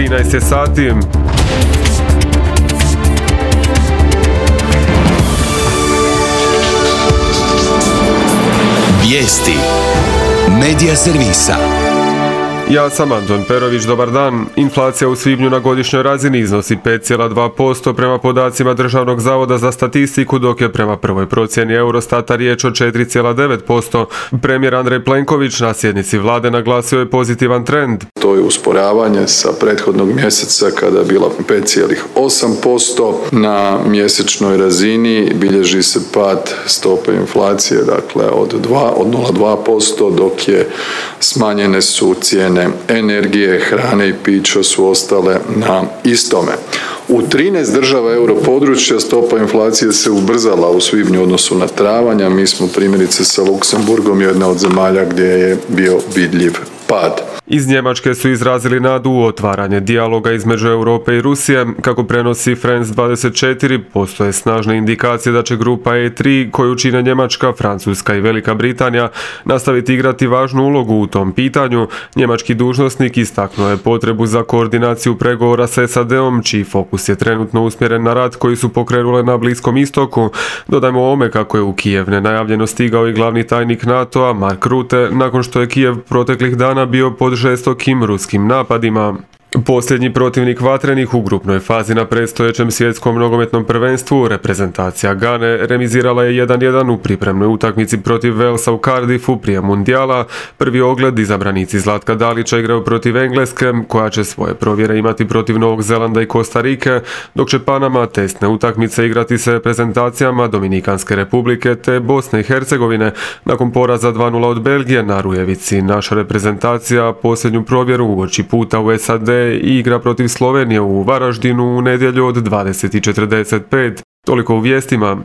13 je sati. Vijesti Medija servisa. Ja sam Anton Perović, dobar dan. Inflacija u svibnju na godišnjoj razini iznosi 5,2% prema podacima Državnog zavoda za statistiku, dok je prema prvoj procjeni Eurostata riječ o 4,9%. Premijer Andrej Plenković na sjednici vlade naglasio je pozitivan trend. To je usporavanje sa prethodnog mjeseca kada je bila 5,8%. Na mjesečnoj razini bilježi se pad stope inflacije, dakle od 0,2%, dok je smanjene su cijene energije, hrane i pića su ostale na istome. U 13 država europodručja stopa inflacije se ubrzala u svibnju u odnosu na travanj, a mi smo primjerice sa Luksemburgom jedna od zemalja gdje je bio vidljiv pad. Iz Njemačke su izrazili nadu u otvaranje dijaloga između Europe i Rusije. Kako prenosi France 24, postoje snažne indikacije da će grupa E3, koju čine Njemačka, Francuska i Velika Britanija, nastaviti igrati važnu ulogu u tom pitanju. Njemački dužnosnik istaknuo je potrebu za koordinaciju pregovora s SAD-om, čiji fokus je trenutno usmjeren na rat koji su pokrenule na Bliskom istoku. Dodajmo ovome kako je u Kijev nenajavljeno stigao i glavni tajnik NATO-a Mark Rutte, nakon što je Kijev proteklih dana bio pod žestokim ruskim napadima. Posljednji protivnik vatrenih u grupnoj fazi na predstojećem svjetskom nogometnom prvenstvu, reprezentacija Gane, remizirala je 1:1 u pripremnoj utakmici protiv Walesa u Cardiffu prije mundijala. Prvi ogled izabranici Zlatka Dalića igraju protiv Engleske, koja će svoje provjere imati protiv Novog Zelanda i Kostarike, dok će Panama testne utakmice igrati s reprezentacijama Dominikanske republike te Bosne i Hercegovine. Nakon poraza 2:0 od Belgije na Rujevici, naša reprezentacija posljednju provjeru uoči puta u SAD i igra protiv Slovenije u Varaždinu u nedjelju od 20:45. Toliko u vijestima.